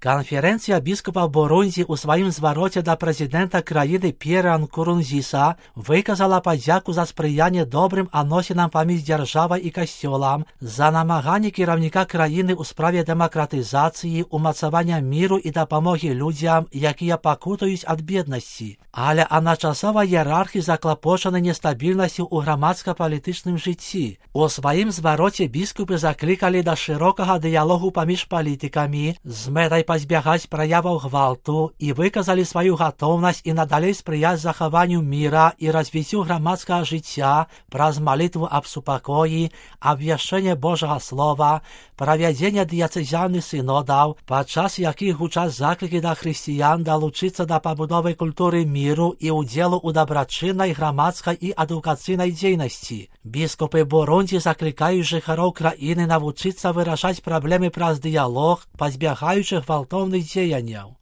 Канференція біскупів Бурунді у своїм звороті до президента країни П'єра Нкурунзіса виказала подяку за сприяння добрим відносинам поміж державою і костюлом, за намагання керівника країни у справі демократизації, умацування миру і допомоги людям, які покутують від бідності. Але одночасова ієрархія заклопочена нестабільністю у громадсько-політичному житті. У своїм звороті біскупи закликали до широкого діалогу поміж політиками з метою позбігати проявів гвалту і виказали свою готовність і надалі сприяти захованню мира і розвиттю громадського життя через молитву об супокої, обвіщення Божого Слова, проведення дієцезіальних синодів, під час яких гучать заклики до християн долучитися до побудови культури миру і уділу у доброчинній громадській і едукаційній діяльності. Біскупи Бурунді закликають жителів країни навчитися вирішати проблеми через діалог, позбігаючи гвалтовних діянь.